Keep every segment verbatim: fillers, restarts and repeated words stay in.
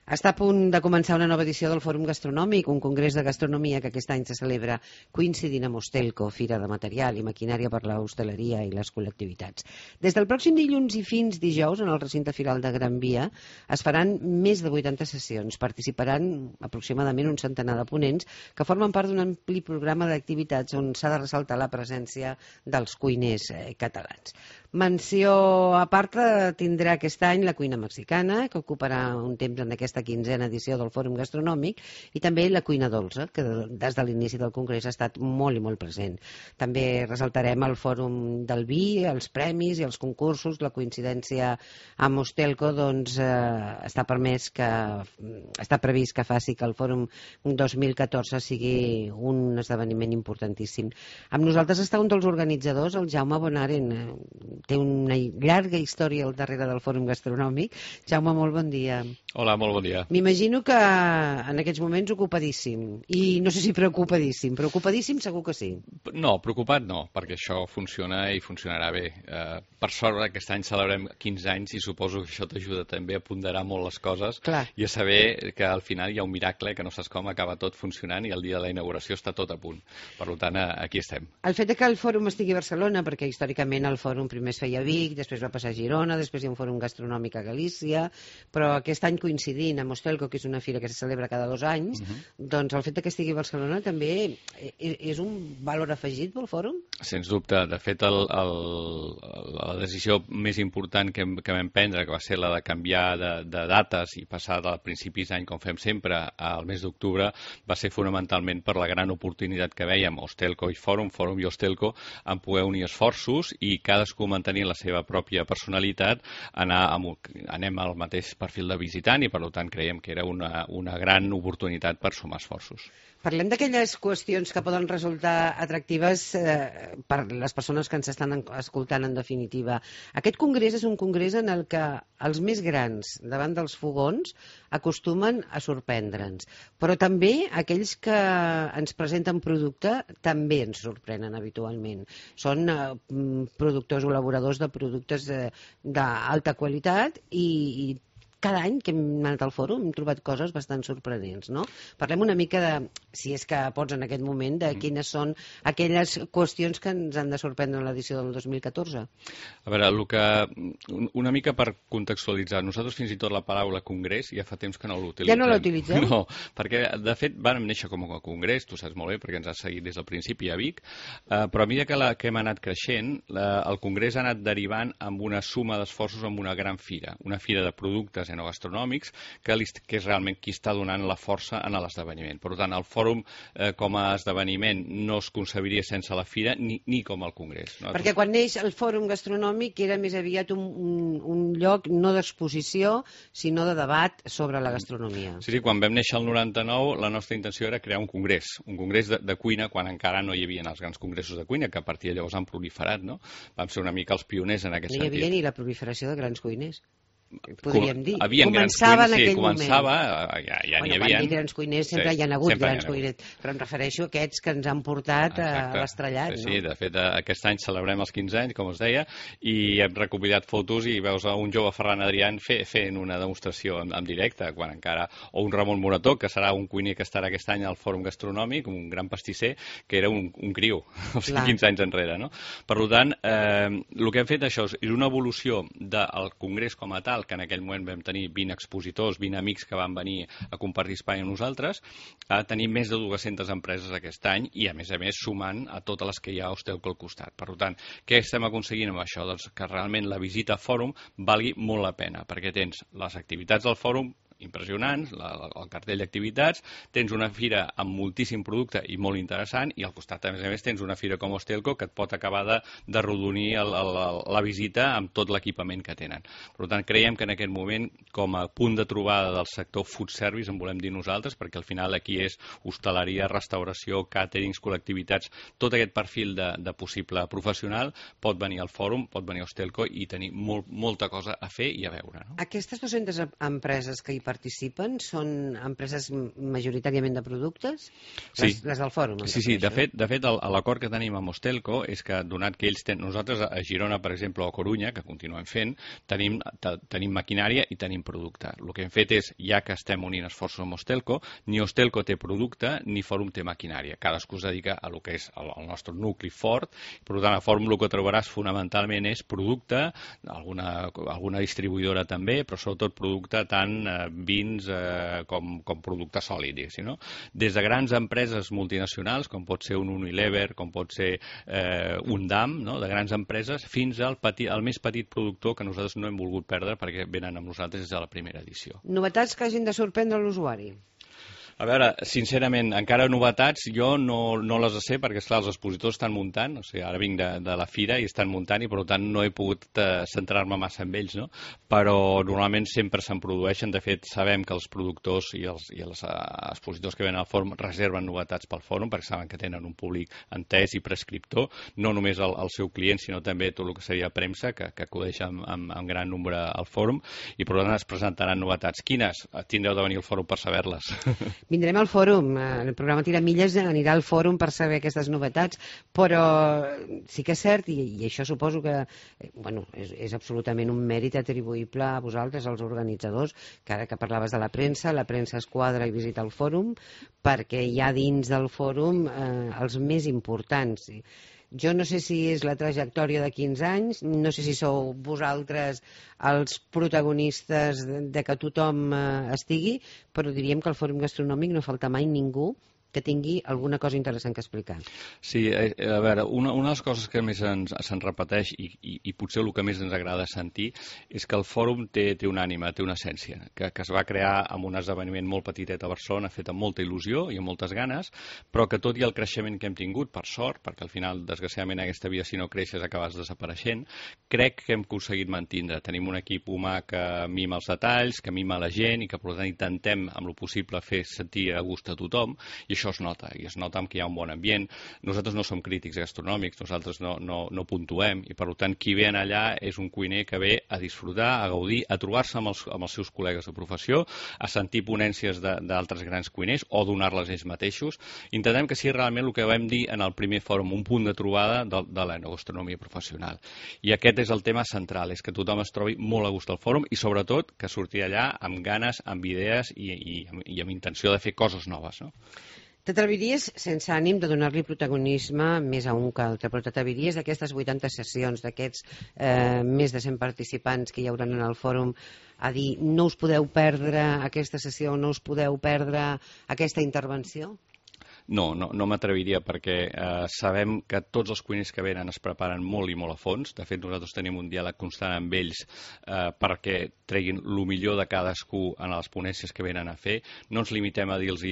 Està a punt de començar una nova edició del Fòrum Gastronòmic, un congrés de gastronomia que aquest any se celebra coincidint amb Hostelco, Fira de Material i Maquinària per la Hostaleria i les Col·lectivitats. Des del pròxim dilluns i fins dijous, en el recinte firal de Gran Via, es faran més de vuitanta sessions. Participaran aproximadament un centenar de ponents que formen part d'un ampli programa d'activitats on s'ha de ressaltar la presència dels cuiners eh, catalans. Menció a part tindrà aquest any la cuina mexicana, que ocuparà un temps en aquesta quinzena edició del Fòrum Gastronòmic, i també la cuina dolça, que des de l'inici del Congrés ha estat molt i molt present. També ressaltarem el Fòrum del Vi, els premis i els concursos. La coincidència amb Hostelco doncs, eh, està permès que està previst que faci que el Fòrum dos mil catorze sigui un esdeveniment importantíssim. Amb nosaltres està un dels organitzadors, el Jaume Bonaren. Té una llarga història al darrere del Fòrum Gastronòmic. Jaume, molt bon dia. Hola, molt bon dia. M'imagino que en aquests moments ocupadíssim. I no sé si preocupadíssim. Preocupadíssim segur que sí. No, preocupat no, perquè això funciona i funcionarà bé. Eh, per sort, aquest any celebrem quinze anys i suposo que això t'ajuda també a ponderar molt les coses. Clar. I a saber que al final hi ha un miracle, que no saps com acaba tot funcionant i el dia de la inauguració està tot a punt. Per tant, aquí estem. El fet de que el fòrum estigui a Barcelona, perquè històricament el fòrum primer es feia a Vic, després va passar a Girona, després hi ha un fòrum gastronòmic a Galícia, però aquest any coincidint amb Hostelco, que és una fira que se celebra cada dos anys, uh-huh. doncs el fet que estigui a Barcelona també és un valor afegit pel fòrum? Sens dubte. De fet, el, el, la decisió més important que, que vam prendre, que va ser la de canviar de, de dates i passar de principis d'any, com fem sempre, al mes d'octubre, va ser fonamentalment per la gran oportunitat que vèiem, Hostelco i Fòrum, Fòrum i Hostelco, en poder unir esforços i cadascú mantenir la seva pròpia personalitat, anar amb, anem al mateix perfil de visitant i per tant creiem que era una, una gran oportunitat per sumar esforços. Parlem d'aquelles qüestions que poden resultar atractives eh, per les persones que ens estan escoltant en definitiva. Aquest congrés és un congrés en el que els més grans davant dels fogons acostumen a sorprendre'ns, però també aquells que ens presenten producte també ens sorprenen habitualment. Són eh, productors o elaboradors de productes eh, d'alta qualitat i, i cada any que hem anat al fòrum hem trobat coses bastant sorprenents, no? Parlem una mica de, si és que pots en aquest moment, de quines són aquelles qüestions que ens han de sorprendre en l'edició del dos mil catorze. A veure, el que, una mica per contextualitzar, nosaltres fins i tot la paraula congrés ja fa temps que no l'utilitzem. Ja no l'utilitzeu? No, perquè de fet vam néixer com a congrés, tu saps molt bé, perquè ens has seguit des del principi a Vic, eh, però a mesura que, la, que hem anat creixent, la, el congrés ha anat derivant amb una suma d'esforços amb una gran fira, una fira de productes gastronòmics, que, que és realment qui està donant la força en l'esdeveniment. Per tant, el fòrum eh, com a esdeveniment no es concebiria sense la fira ni, ni com el congrés. No? Perquè quan neix el fòrum gastronòmic era més aviat un, un, un lloc no d'exposició, sinó de debat sobre la gastronomia. Sí, sí, quan vam néixer el noranta-nou, la nostra intenció era crear un congrés, un congrés de, de cuina, quan encara no hi havia els grans congressos de cuina, que a partir de llavors han proliferat, no? Vam ser una mica els pioners en aquest sentit. No hi havia sentit. ni la proliferació de grans cuiners. Podríem dir. Havien Començava grans cuiners, en aquell sí, començava, moment. ja, ja bueno, n'hi havia. Quan grans cuiners sempre sí, hi ha hagut grans ha cuiners, però em refereixo a aquests que ens han portat Exacte. a l'estrellat. Sí, no? sí, de fet, aquest any celebrem els quinze anys, com us deia, i hem recopilat fotos i veus un jove Ferran Adrián fe, fent una demostració en, en directe, quan encara, o un Ramon Morató, que serà un cuiner que estarà aquest any al Fòrum Gastronòmic, un gran pastisser, que era un, un criu, o sigui, quinze anys enrere. No? Per tant, eh, el que hem fet això és una evolució del congrés com a tal, que en aquell moment vam tenir vint expositors, vint amics que van venir a compartir espai amb nosaltres, a tenir més de dues-centes empreses aquest any i, a més a més, sumant a totes les que hi ha a Hostelco al costat. Per tant, què estem aconseguint amb això? Doncs que realment la visita a fòrum valgui molt la pena, perquè tens les activitats del fòrum impressionants, la, el cartell d'activitats, tens una fira amb moltíssim producte i molt interessant, i al costat, a més a més, tens una fira com Hostelco que et pot acabar de, de rodonir el, el, la visita amb tot l'equipament que tenen. Per tant, creiem que en aquest moment, com a punt de trobada del sector food service, en volem dir nosaltres, perquè al final aquí és hostaleria, restauració, càterings, col·lectivitats, tot aquest perfil de, de possible professional pot venir al fòrum, pot venir a Hostelco i tenir molt, molta cosa a fer i a veure. No? Aquestes dues-centes empreses que hi participen són empreses majoritàriament de productes? Sí. Les, les del fòrum. Sí, sí, de fet, de fet l'acord que tenim amb Ostelco és que, donat que ells tenen, nosaltres a Girona, per exemple, o a Corunya, que continuem fent, tenim, tenim maquinària i tenim producte. El que hem fet és, ja que estem unint esforços amb Ostelco, ni Ostelco té producte ni Fòrum té maquinària. Cadascú es dedica a lo que és el, el nostre nucli fort. Per tant, a Fòrum el que trobaràs fonamentalment és producte, alguna, alguna distribuïdora també, però sobretot producte tant eh, vins eh, com, com producte sòlid, no? Des de grans empreses multinacionals, com pot ser un Unilever, com pot ser eh, un D A M, no? De grans empreses, fins al, petit, al més petit productor que nosaltres no hem volgut perdre perquè venen amb nosaltres des de la primera edició. Novetats que hagin de sorprendre l'usuari? A veure, sincerament, encara novetats jo no, no les sé perquè, esclar, els expositors estan muntant, o sigui, ara vinc de, de la fira i estan muntant i, per tant, no he pogut eh, centrar-me massa en ells, no? Però normalment sempre se'n produeixen. De fet, sabem que els productors i els, i els uh, expositors que venen al fòrum reserven novetats pel fòrum perquè saben que tenen un públic entès i prescriptor, no només el, el seu client, sinó també tot el que seria premsa, que, que acudeix amb, amb, amb gran nombre al fòrum, i per tant es presentaran novetats. Quines? Tindreu de venir al fòrum per saber-les. Vindrem al fòrum, el programa Tiramilles anirà al fòrum per saber aquestes novetats, però sí que és cert, i, i això suposo que bueno, és, és absolutament un mèrit atribuïble a vosaltres, als organitzadors, que ara que parlaves de la premsa, la premsa es quadra i visita el fòrum, perquè hi ha dins del fòrum eh, els més importants. Jo no sé si és la trajectòria de quinze anys, no sé si sou vosaltres els protagonistes de, de que tothom eh, estigui, però diríem que al Fòrum Gastronòmic no falta mai ningú que tingui alguna cosa interessant que explicar. Sí, a veure, una, una de les coses que més ens, se'n repeteix i, i, i potser el que més ens agrada sentir és que el fòrum té, té una ànima, té una essència, que, que es va crear amb un esdeveniment molt petitet a Barcelona, fet amb molta il·lusió i amb moltes ganes, però que tot i el creixement que hem tingut, per sort, perquè al final, desgraciadament, aquesta vida, si no creixes, acabes desapareixent, crec que hem aconseguit mantindre. Tenim un equip humà que mima els detalls, que mima la gent i que, per tant, intentem, amb lo possible, fer sentir a gust a tothom, i això es nota, i es nota que hi ha un bon ambient. Nosaltres no som crítics gastronòmics, nosaltres no, no, no puntuem, i per tant qui ve allà és un cuiner que ve a disfrutar, a gaudir, a trobar-se amb, els, amb els seus col·legues de professió, a sentir ponències d'altres grans cuiners o donar-les ells mateixos. Intentem que sigui realment el que vam dir en el primer fòrum, un punt de trobada de, de l'enogastronomia professional. I aquest és el tema central, és que tothom es trobi molt a gust al fòrum i sobretot que surti allà amb ganes, amb idees i, i, i amb intenció de fer coses noves, no? T'atreviries, sense ànim de donar-li protagonisme més a un que altre, però t'atreviries d'aquestes vuitanta sessions, d'aquests eh, més de cent participants que hi hauran en el fòrum, a dir, no us podeu perdre aquesta sessió, no us podeu perdre aquesta intervenció? No, no, no m'atreviria perquè eh, sabem que tots els cuiners que venen es preparen molt i molt a fons. De fet, nosaltres tenim un diàleg constant amb ells eh, perquè treguin el millor de cadascú en les ponències que venen a fer. No ens limitem a dir-los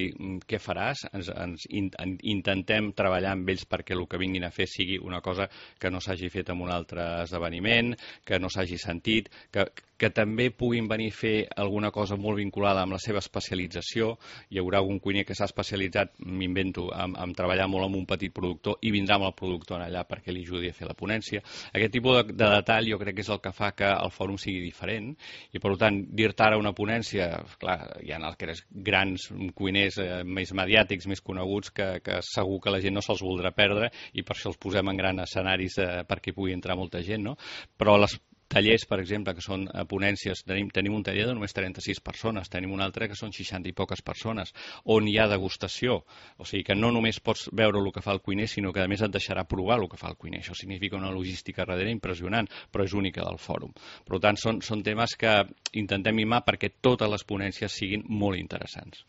què faràs, ens, ens in, intentem treballar amb ells perquè el que vinguin a fer sigui una cosa que no s'hagi fet en un altre esdeveniment, que no s'hagi sentit, que, que també puguin venir a fer alguna cosa molt vinculada amb la seva especialització. Hi haurà algun cuiner que s'ha especialitzat, m'invento, amb, amb treballar molt amb un petit productor i vindrà amb el productor allà perquè li ajudi a fer la ponència. Aquest tipus de, de detall jo crec que és el que fa que el fòrum sigui diferent i per tant dir-te ara una ponència, clar, hi ha els grans cuiners eh, més mediàtics, més coneguts que, que segur que la gent no se'ls voldrà perdre i per això els posem en grans escenaris eh, perquè hi pugui entrar molta gent, no? Però les tallers, per exemple, que són ponències, tenim, tenim un taller de només trenta-sis persones, tenim un altre que són seixanta i poques persones, on hi ha degustació. O sigui que no només pots veure el que fa el cuiner, sinó que a més et deixarà provar el que fa el cuiner. Això significa una logística darrere impressionant, però és única del fòrum. Per tant, són, són temes que intentem mimar perquè totes les ponències siguin molt interessants.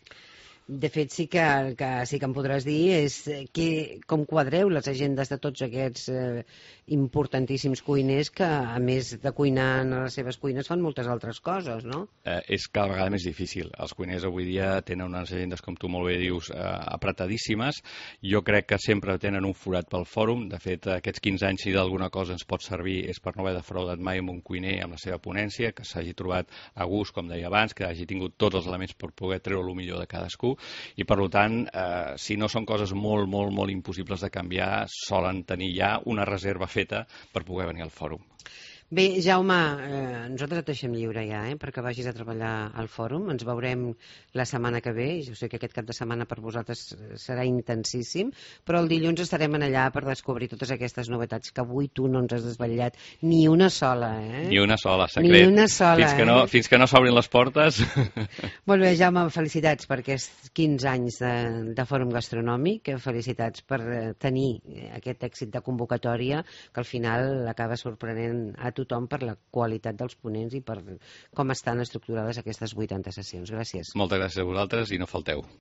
De fet, sí que el que sí que em podràs dir és que, com quadreu les agendes de tots aquests eh, importantíssims cuiners que, a més de cuinar en les seves cuines, fan moltes altres coses, no? Eh, és cada vegada més difícil. Els cuiners avui dia tenen unes agendes, com tu molt bé dius, eh, apretadíssimes. Jo crec que sempre tenen un forat pel fòrum. De fet, aquests quinze anys, si d'alguna cosa ens pot servir, és per no haver defraudat mai amb un cuiner amb la seva ponència, que s'hagi trobat a gust, com deia abans, que hagi tingut tots els elements per poder treure el millor de cadascú. I per tant, eh, si no són coses molt, molt, molt impossibles de canviar, solen tenir ja una reserva feta per poder venir al fòrum. Bé, Jaume, eh, nosaltres et deixem lliure ja, eh, perquè vagis a treballar al fòrum. Ens veurem la setmana que ve. Jo sé que aquest cap de setmana per vosaltres serà intensíssim, però el dilluns estarem en allà per descobrir totes aquestes novetats que avui tu no ens has desvetllat ni una sola, eh? Ni una sola, secret. Ni una sola, fins que no, eh? Fins que no s'obrin les portes. Molt bé, Jaume, felicitats per aquests quinze anys de, de Fòrum Gastronòmic, felicitats per tenir aquest èxit de convocatòria que al final acaba sorprenent a tothom per la qualitat dels ponents i per com estan estructurades aquestes vuitanta sessions. Gràcies. Moltes gràcies a vosaltres i no falteu.